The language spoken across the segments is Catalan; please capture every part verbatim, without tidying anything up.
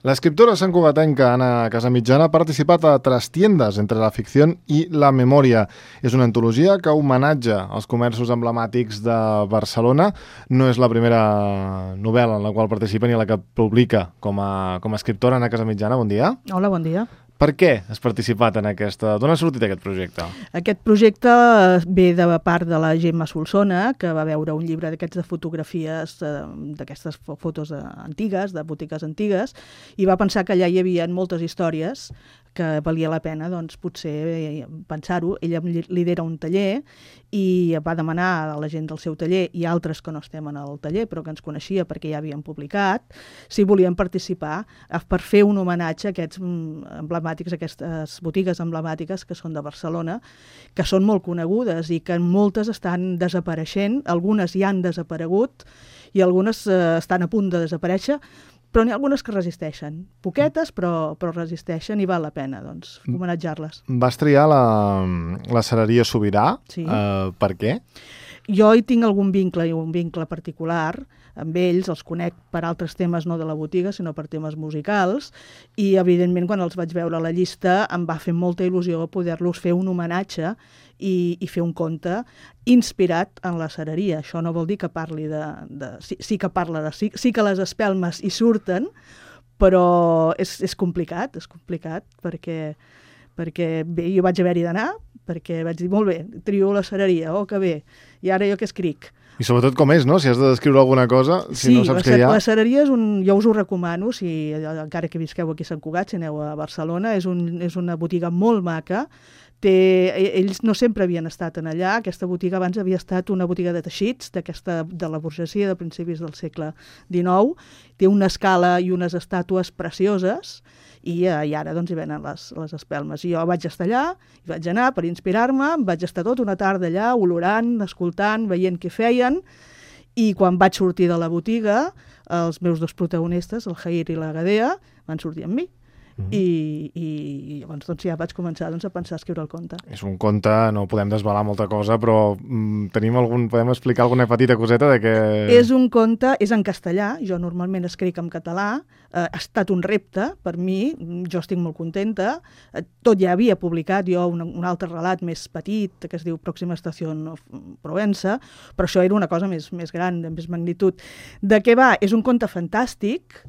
L'escriptora santcugatenca Anna Casamitjana ha participat a Trastiendas entre la ficció i la memòria. És una antologia que homenatja els comerços emblemàtics de Barcelona. No és la primera novel·la en la qual participa ni la que publica com a, com a escriptora. Anna Casamitjana, bon dia. Hola, bon dia. Per què has participat en aquesta... D'on ha sortit aquest projecte? Aquest projecte ve de part de la Gemma Solsona, que va veure un llibre d'aquests de fotografies, d'aquestes fotos antigues, de botigues antigues, i va pensar que allà hi havia moltes històries que valia la pena, doncs, potser pensar-ho. Ella lidera un taller i va demanar a la gent del seu taller i altres que no estem en el taller, però que ens coneixia perquè ja havien publicat, si volien participar per fer un homenatge a aquests emblemàtics, aquestes botigues emblemàtiques que són de Barcelona, que són molt conegudes i que moltes estan desapareixent, algunes ja han desaparegut i algunes eh, estan a punt de desaparèixer, però n'hi ha algunes que resisteixen. Poquetes, però, però resisteixen i val la pena, doncs, homenatjar-les. Vas triar la, la Cereria Sobirà. Sí. Uh, per què? Jo hi tinc algun vincle i un vincle particular amb ells, els conec per altres temes, no de la botiga, sinó per temes musicals, i evidentment quan els vaig veure a la llista em va fer molta il·lusió poder-los fer un homenatge i, i fer un conte inspirat en la cereria. Això no vol dir que parli de... de sí, sí que parla de... Sí, sí que les espelmes hi surten, però és, és complicat, és complicat, perquè, perquè bé, jo vaig haver-hi d'anar, perquè vaig dir, molt bé, trio la cereria, oh, que bé, i ara jo què escric? I sobretot com és, no? Si has de descriure alguna cosa, si sí, no saps la, què hi ha... la cereria és un... Jo us ho recomano, si, encara que visqueu aquí a Sant Cugat, si aneu a Barcelona, és, un, és una botiga molt maca. Té, ells no sempre havien estat en allà. Aquesta botiga abans havia estat una botiga de teixits, d'aquesta de la burgesia de principis del segle dinou. Té una escala i unes estàtues precioses, i, eh, i ara doncs hi venen les, les espelmes. I jo vaig estar allà, i vaig anar per inspirar-me, vaig estar tota una tarda allà olorant, escoltant, veient què feien, i quan vaig sortir de la botiga, els meus dos protagonistes, el Jair i la Gadea, van sortir amb mi. Mm-hmm. I, i, i llavors doncs, ja vaig començar doncs, a pensar a escriure el conte. És un conte, no podem desvelar molta cosa, però mm, tenim algun, podem explicar alguna petita coseta de què... És un conte, és en castellà, jo normalment escric en català, eh, ha estat un repte per mi, jo estic molt contenta, eh, tot ja havia publicat jo un, un altre relat més petit, que es diu Pròxima Estació Provença, però això era una cosa més, més gran, de més magnitud. De què va? És un conte fantàstic,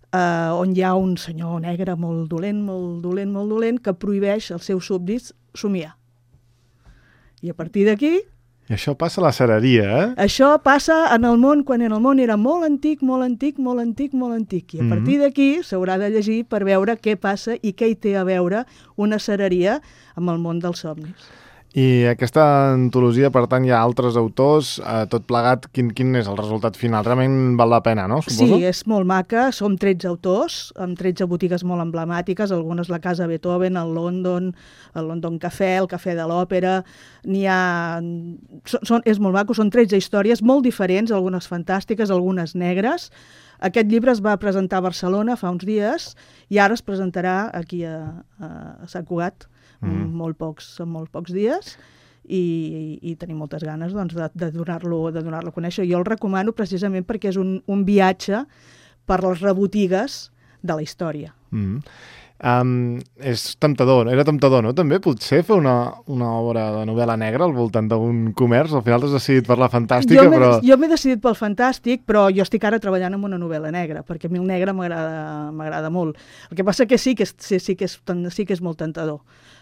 Uh, on hi ha un senyor negre molt dolent, molt dolent, molt dolent, que prohibeix als seus súbdits somiar. I a partir d'aquí... I això passa a la cereria, eh? Això passa en el món, quan en el món era molt antic, molt antic, molt antic, molt antic. I a partir d'aquí s'haurà de llegir per veure què passa i què hi té a veure una cereria amb el món dels somnis. I aquesta antologia, per tant, hi ha altres autors, eh, tot plegat, quin, quin és el resultat final? Realment val la pena, no? Suposo? Sí, és molt maca, som tretze autors, amb tretze botigues molt emblemàtiques, algunes la Casa Beethoven, el London, el London Cafè, el Cafè de l'Òpera, n'hi ha... Són, és molt maco, són tretze històries molt diferents, algunes fantàstiques, algunes negres. Aquest llibre es va presentar a Barcelona fa uns dies i ara es presentarà aquí a, a Sant Cugat, Mm. molt pocs, en molt pocs dies, i, i, i tenim moltes ganes doncs, de, de donar-lo de donar-lo a conèixer. Jo el recomano precisament perquè és un, un viatge per les rebotigues de la història. Mm. Um, és temptador, era temptador, no? També potser fer una, una obra de novel·la negra al voltant d'un comerç, al final t'has decidit per la fantàstica, jo però... Jo m'he decidit pel fantàstic, però jo estic ara treballant en una novel·la negra, perquè a mi el negre m'agrada m'agrada molt. El que passa que sí que és, sí, sí que és, sí que és molt tentador.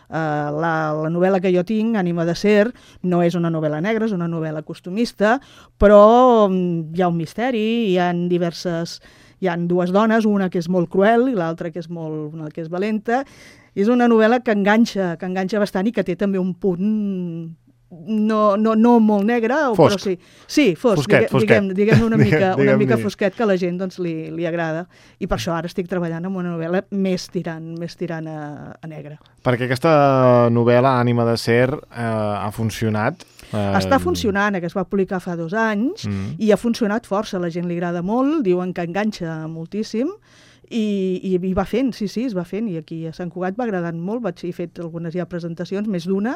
Uh, la, la novel·la que jo tinc, Ànima de Ser, no és una novel·la negra, és una novel·la costumista, però um, hi ha un misteri, hi ha diverses... Hi ha dues dones, una que és molt cruel i l'altra que és molt, una que és valenta. És una novel·la que enganxa, que enganxa bastant i que té també un punt no, no, no molt negre, fosc. Però sí. Sí, fosc, fosquet, diguem, diguem, diguem una mica, una diguem mica fosquet que a la gent doncs, li, li agrada. I per això ara estic treballant en una novel·la més tirant, més tirant a, a negre. Perquè aquesta novel·la, Ànima de Ser, eh, ha funcionat. Uh... Està funcionant, que es va publicar fa dos anys, mm. i ha funcionat força, a la gent li agrada molt, diuen que enganxa moltíssim, I, i, i va fent, sí, sí, es va fent, i aquí a Sant Cugat va agradant molt, vaig he fet algunes ja presentacions, més d'una,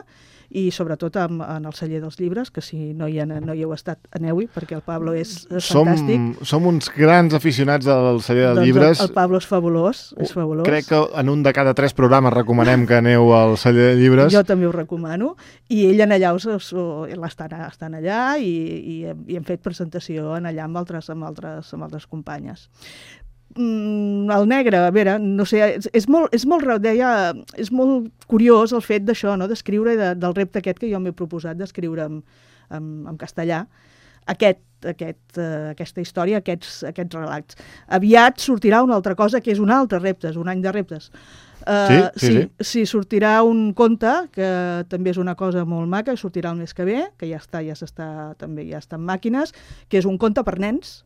i sobretot en, en el celler dels llibres, que si no hi, ha, no hi heu estat, aneu-hi, perquè el Pablo és, és som, fantàstic. Som uns grans aficionats del celler de doncs llibres. El, el Pablo és fabulós, és fabulós. Crec que en un de cada tres programes recomanem que aneu al celler de llibres. Jo també ho recomano, i ell en allà us, us, estan, estan allà, i, i, i hem fet presentació en allà amb altres, amb altres, amb altres companyes. El negre, a veure, no sé, és, és, molt, és, molt, deia, és molt curiós el fet d'això, no? D'escriure, de, del repte aquest que jo m'he proposat d'escriure en, en, en castellà, aquest, aquest, uh, aquesta història, aquests, aquests relats. Aviat sortirà una altra cosa, que és un altre repte, és un any de reptes. Uh, sí, sí, sí, sí. Sí, sortirà un conte, que també és una cosa molt maca, sortirà el mes que ve, que ja està, ja s'està, també ja està en màquines, que és un conte per nens.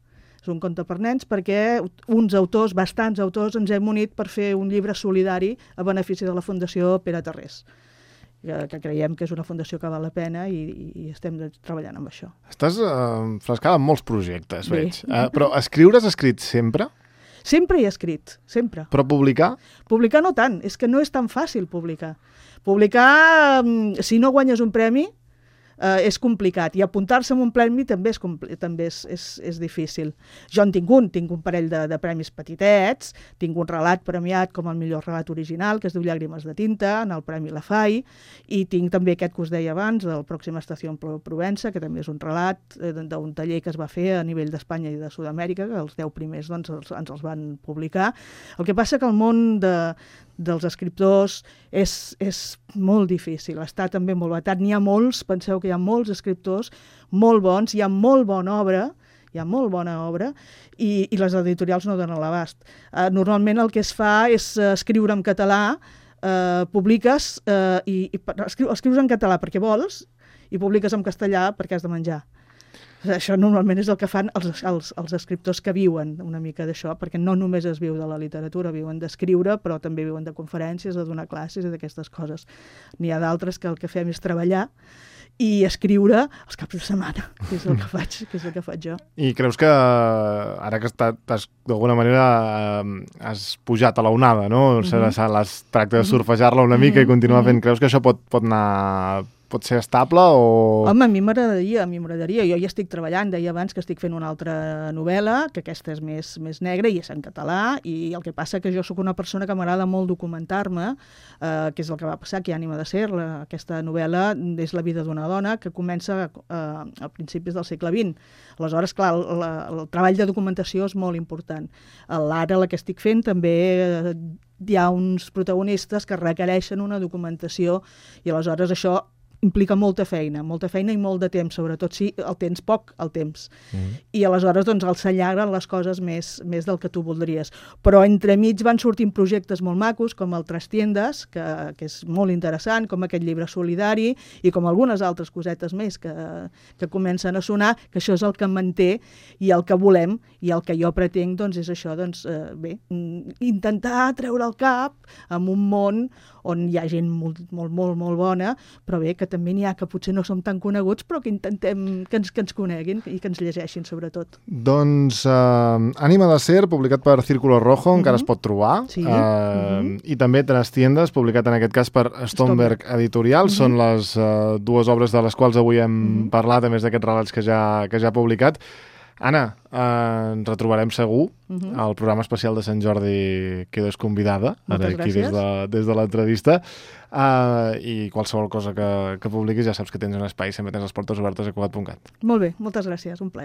És un conte per nens perquè uns autors, bastants autors, ens hem unit per fer un llibre solidari a benefici de la Fundació Pere Tarrés, que, que creiem que és una fundació que val la pena i, i estem treballant amb això. Estàs uh, frescada en molts projectes, Bé. veig. Uh, però escriure has escrit sempre? Sempre he escrit, sempre. Però publicar? Publicar no tant, és que no és tan fàcil publicar. Publicar, si no guanyes un premi, Uh, és complicat, i apuntar-se en un premi també és, també és, és, és difícil. Jo en tinc un, tinc un parell de, de premis petitets, tinc un relat premiat com el millor relat original, que es diu Llàgrimes de tinta, en el Premi Lafay, i tinc també aquest que us deia abans, del Pròxima Estació en Provença, que també és un relat eh, d'un taller que es va fer a nivell d'Espanya i de Sud-amèrica, que els deu primers doncs, els, ens els van publicar. El que passa que el món de, dels escriptors és, és molt difícil, està també molt vetat. N'hi ha molts, penseu que hi ha molts escriptors molt bons, hi ha molt bona obra, hi ha molt bona obra, i, i les editorials no donen l'abast. Uh, normalment el que es fa és uh, escriure en català, uh, publiques, uh, i, i escriu, escrius en català perquè vols, i publiques en castellà perquè has de menjar. Això normalment és el que fan els, els, els escriptors que viuen una mica d'això, perquè no només es viu de la literatura, viuen d'escriure, però també viuen de conferències, de donar classes i d'aquestes coses. N'hi ha d'altres que el que fem és treballar i escriure els caps de setmana, que és el que faig, que és el que faig jo. I creus que ara que has, d'alguna manera has pujat a la onada, no? Mm-hmm. Es tracta de surfejar-la una mica mm-hmm. i continuar fent. Creus que això pot, pot anar... pot ser estable o... Home, a mi m'agradaria, a mi m'agradaria. Jo ja estic treballant, deia abans que estic fent una altra novel·la, que aquesta és més, més negra i és en català, i el que passa que jo sóc una persona que m'agrada molt documentar-me, eh, que és el que va passar, que hi ha Ànima de ser. La, aquesta novel·la és la vida d'una dona que comença eh, a principis del segle vint. Aleshores, clar, el, el, el treball de documentació és molt important. L'ara, la que estic fent, també eh, hi ha uns protagonistes que requereixen una documentació i aleshores això implica molta feina, molta feina i molt de temps, sobretot si el tens poc, el temps. Mm. I aleshores doncs, els s'allarguen les coses més, més del que tu voldries. Però entremig van sortint projectes molt macos, com el Trastiendes, que, que és molt interessant, com aquest llibre solidari, i com algunes altres cosetes més que, que comencen a sonar, que això és el que em manté i el que volem, i el que jo pretenc doncs, és això, doncs, eh, bé, intentar treure el cap en un món on hi ha gent molt, molt, molt, molt bona, però bé, que també n'hi ha que potser no som tan coneguts, però que intentem que ens, que ens coneguin i que ens llegeixin, sobretot. Doncs uh, Ànima de ser, publicat per Círculo Rojo, uh-huh. encara es pot trobar, sí. uh, uh-huh. i també Trastiendes, publicat en aquest cas per Stomberg Editorial. Uh-huh. Són les uh, dues obres de les quals avui hem uh-huh. parlat, a més d'aquests relats que ja, que ja ha publicat. Anna, eh, ens retrobarem segur. Uh-huh. El programa especial de Sant Jordi quedes convidada. Moltes ara aquí gràcies. des de, des de l'entrevista. Uh, I qualsevol cosa que, que publiquis ja saps que tens un espai, sempre tens les portes obertes a Cugat punt cat. Molt bé, moltes gràcies, un plaer.